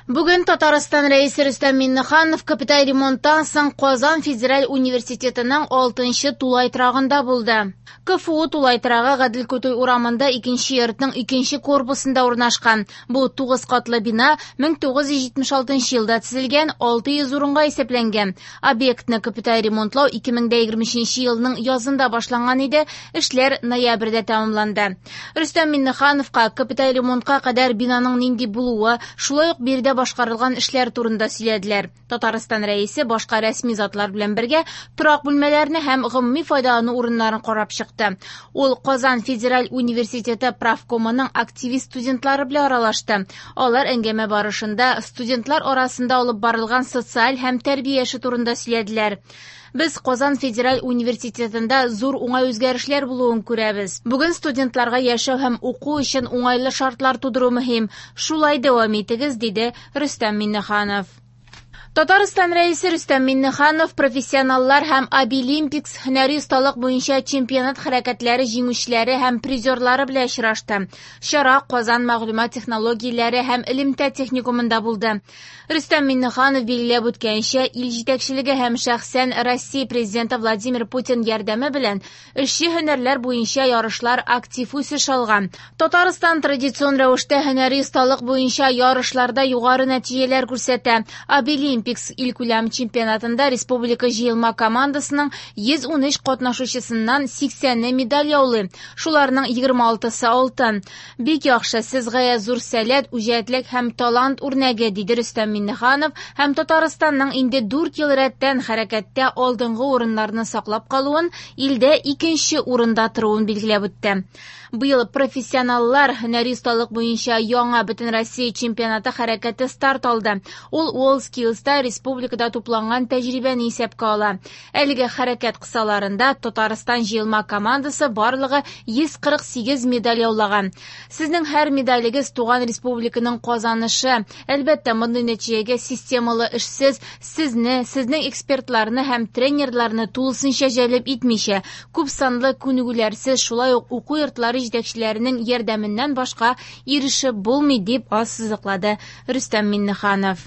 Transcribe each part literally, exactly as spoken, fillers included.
Бүген Татарстан Рәисе Рөстәм Миңнеханов капиталь ремонттан соң Казан федераль университетының алтынчы тулай торагында булды. КФУ тулай торагы Гадел Кутуй урамында икенче йортның икенче корпусында урнашкан. Бу тугыз катлы бина мең тугыз йөз җитмеш алтынчы елда төзелгән, алты йөз урынга исәпләнгән. Объектны капиталь ремонтлау ике мең дә егерме өченче елның язында башланган иде, эшләр ноябрьдә тәмамланды. Рөстәм Миңнехановка капиталь ремонтка кадәр бинаның нинди булуы, шулай ук биредә башкарылган эшләр турында сөйләделәр. Татарстан Рәисе башка рәсми затлар белән бергә торак бүлмәләрне һәм гомуми файдалану урыннарын карап чыкты. Ул Казан федераль университеты правкомының активист студентлары белән аралашты. Алар әңгәмә барышында студентлар арасында алып барылган социаль һәм тәрбия эше турында сөйләделәр. Без Казан федераль университетында зур уңай үзгәрешләр булуын күрәбез. Бүген студентларга яшәү һәм уку өчен уңайлы шартлар тудыру мөһим. Шулай дәвам итегез, диде Рөстәм Миңнеханов. Татарстан Рәисе Рөстәм Миңнеханов профессионаллар һәм Абилимпикс һөнәри осталык буенча чемпионат хәрәкәтләре җиңүчеләре һәм призерлары белән очрашты. Чара Казан мәгълүмат технологияләре һәм элемтә техникумында булды. Рөстәм Миңнеханов билгеләп үткәнчә, ил җитәкчелеге һәм шәхсән Россия президенты Владимир Путин ярдәме белән эшче һөнәрләр буенча ярышлар актив үсеш алган. Татарстан традицион рәвештә һөнәри осталык буенча ярышларда югары нәтиҗәләр күрсәтә. Абилимпикс илкүләм чемпионатында республика җыелма командасының йөз ун өч катнашучысыннан сиксәне медаль яулый. Шуларның егерме алтысы алтын. Бик яхшы, сез гаять зур сәләт, үҗәтлек һәм талант үрнәге, диде Рөстәм Миңнеханов һәм Татарстанның инде дүрт ел рәттән хәрәкәттә алдынгы урыннарны саклап калуын, илдә икенче урында торуын билгеләп үтте. Быел профессионаллар һөнәри осталык буенча яңа Бөтенроссия чемпионаты хәрәкәте старт алды. Ул WorldSkills-та республикада тупланган тәҗрибәне исәпкә ала. Әлеге хәрәкәт кысаларында Татарстан җыелма командасы барлыгы йөз кырык сигез медаль яулаган. Сезнең һәр медалегез туган республиканың казанышы. Әлбәттә, мондый нәтиҗәгә системалы эшсез сезне, сезнең экспертларны һәм тренерларны тулысынча җәлеп итмичә, күп санлы күнегүләрсез, шулай ук уку йортлары җитәкчеләренең ярдәменнән башка ирешеп булмый, дип ассызыклады Рөстәм Миңнеханов.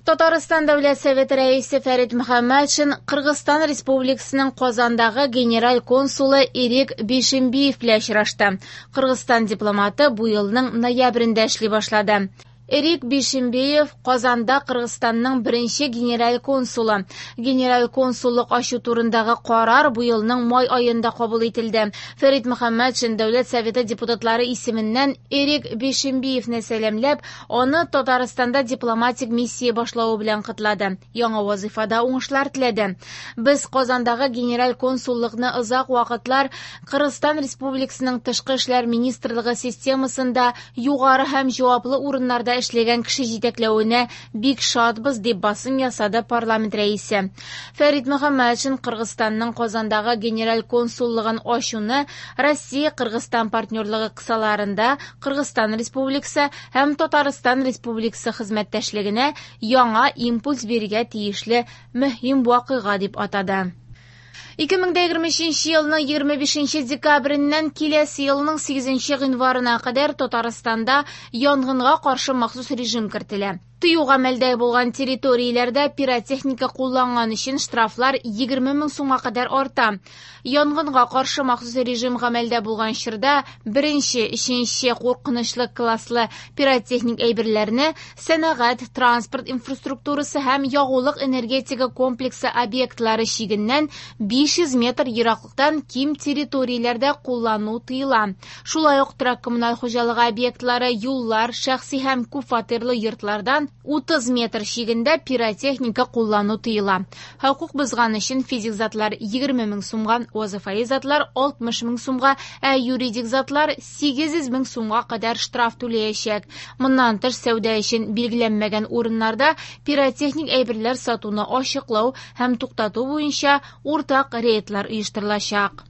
Татарстан Дәүләт Советы рәисе Фәрит Мөхәммәтшин Кыргызстан Республикасының Казандагы генераль консулы Эрик Бейшембиев белән очрашты. Кыргызстан дипломаты бу елның ноябрендә эшли башлады. Эрик Бейшембиев Казанда Кыргызстанның беренче генераль консулы. Генераль консуллык ачу турындагы карар бу елның май аенда кабул ителде. Фәрит Мөхәммәтшин Дәүләт Советы депутатлары исеменнән Эрик Бейшембиевне сәламләп, аны Татарстанда дипломатик миссия башлавы белән котлады. Яңа вазифада уңышлар теләде. Без Казандагы генераль консуллыкны озак вакытлар Кыргызстан Республикасының Тышкы эшләр министрлыгы системасында югары һәм җаваплы урыннарда эшләгән кеше җитәкләвенә бик шатбыз, дип басым ясады парламент рәисе. Фәрит Мөхәммәтшин Кыргызстанның Казандагы генераль консуллыгын ачуны Россия-Кыргызстан партнерлыгы кысаларында Кыргызстан Республикасы һәм Татарстан Республикасы хезмәттәшлегенә яңа импульс бирергә тиешле мөһим вакыйга дип атады. Ике мең дә егерме өченче елның егерме бишенче декабреннән киләсе елның сигезенче гыйнварына кадәр Татарстанда янгынга каршы махсус режим кертелә. Тыю гамәлдә булган территорияләрдә пиротехника кулланган өчен штрафлар егерме мең сумга кадәр арта. Янгынга каршы махсус режим гамәлдә булган чорда беренче, өченче куркынычлы класслы пиротехник әйберләрне сәнәгать, транспорт инфраструктурасы һәм ягулык энергетика комплексы объектлары чигеннән биш йөз метр ераклыктан ким территорияләрдә куллану тыела. Шулай ук торак коммуналь хуҗалыгы объектлары, юллар, шәхси һәм күпфатирлы йортлардан утыз метр чигендә пиротехника куллану тыела. Хокук бозган өчен физик затлар егерме мең сумга, вазифаи затлар алтмыш мең сумга, ә юридик затлар сигез йөз мең сумга кадәр штраф түләячәк. Моннан тыш сәүдә өчен билгеләнмәгән урыннарда пиротехник әйберләр сатуны ачыклау һәм туктату буенча уртак рейдлар оештырылачак.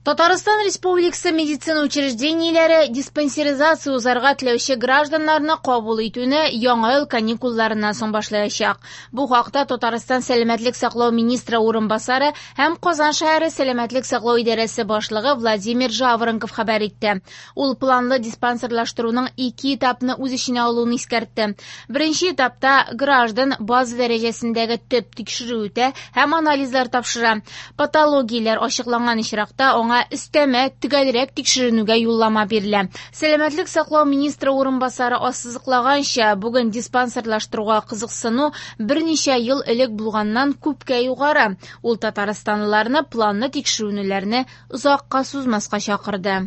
Татарстан Республикасы медицина учреждениеләре диспансеризация узарга теләүче гражданнарны кабул итүне яңа ел каникулларыннан соң башлаячак. Бу хакта Татарстан сәламәтлек саклау министры урынбасары һәм Казан шәһәре сәламәтлек саклау идарәсе башлыгы Владимир Жаворонков хәбәр итте. Ул планлы диспансерлаштыруның ике этапны үз эченә алуын искәртте. Беренче этапта граждан база дәрәҗәсендәге төп тикшерү үтә һәм анализлар тапшыра. Патологияләр ачыкланган очракта аңа өстәмә төгәлрәк тикшеренүгә юллама бирелә. Сәламәтлек саклау министры урынбасары ассызыклаганча, бүген диспансерлаштыруга кызыксыну берничә ел элек булганнан күпкә югары. Ул татарстанлыларны планлы тикшеренүләрне озакка сузмаска чакырды.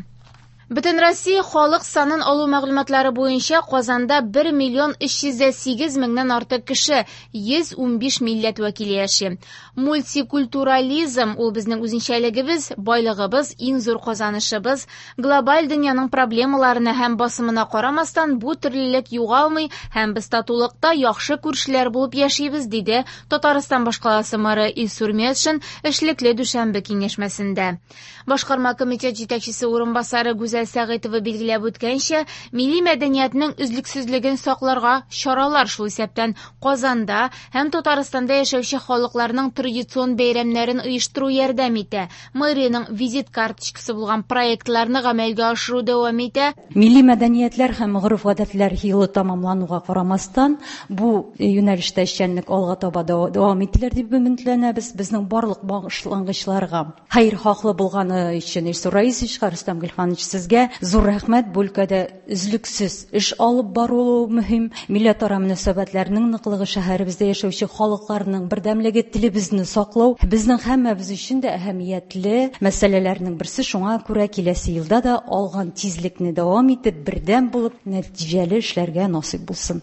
Бөтенроссия халык санын алу мәгълүматлары буенча Казанда бер миллион өч йөз дә сигез меңнән артык кеше, йөз унбиш милләт вәкиле яши. Мультикультурализм ул безнең үзенчәлегебез, байлыгыбыз, иң зур казанышыбыз. Глобаль дөньяның проблемаларына һәм басымына карамастан бу төрлелек югалмый һәм без татулыкта яхшы күршеләр булып яшибез, диде Татарстан башкаласы мэры Илсур Метшин эшлекле дүшәмбе киңәшмәсендә. Башкарма комитет җитәкчесе урынбасары Гүзәл Сәгыйтова билгеләп үткәнчә, милли мәдәниятнең өзлексезлеген сакларга чаралар, шул исәптән Казанда һәм Татарстанда яшәүче халыкларның традицион бәйрәмнәрен оештыру ярдәм итә. Мэриянең визит карточкасы булган проектларны гамәлгә ашыру дәвам итә. Милли мәдәниятләр һәм гореф-гадәтләр елы тамамлануга карамастан, бу юнәлештә эшчәнлек алга таба дәвам ителер дип өметләнәбез. Безнең барлык башлангычларга хәер-хаклы булганы өчен Илсур Раисовичка, Рөстәм Гыйльфанович, сезгә зур рәхмәт. Бу өлкәдә өзлексез эш алып бару мөһим. Милләтара мөнәсәбәтләрнең ныклыгы, шәһәребездә яшәүче халыкларның бердәмлеге, телебезне саклау безнең һәммәбез өчен дә әһәмиятле мәсьәләләрнең берсе. Шуңа күрә киләсе елда да алган тизлекне дәвам итеп, бердәм булып, нәтиҗәле эшләргә насыйп булсын.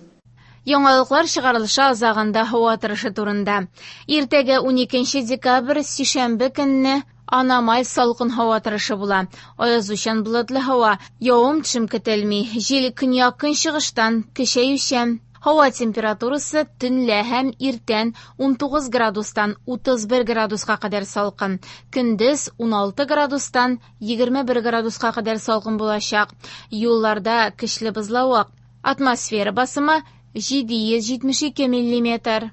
Яңалыклар чыгарылышы азагында һава торышы турында. Иртәгә уникенче декабрь сишәмбе көнне аномаль салкын һава торышы була. Аязучан болытлы һава, явым-төшем көтелми. Җил көньяк-көнчыгыштан көчәючән. Һава температурасы төнлә һәм иртән унтугыз градустан утыз бер градуска кадәр салкын. Көндез уналты градустан егерме бер градуска кадәр салкын булачак. Юлларда көчле бозлавык. Атмосфера басымы җиде йөз җитмеш ике миллиметр.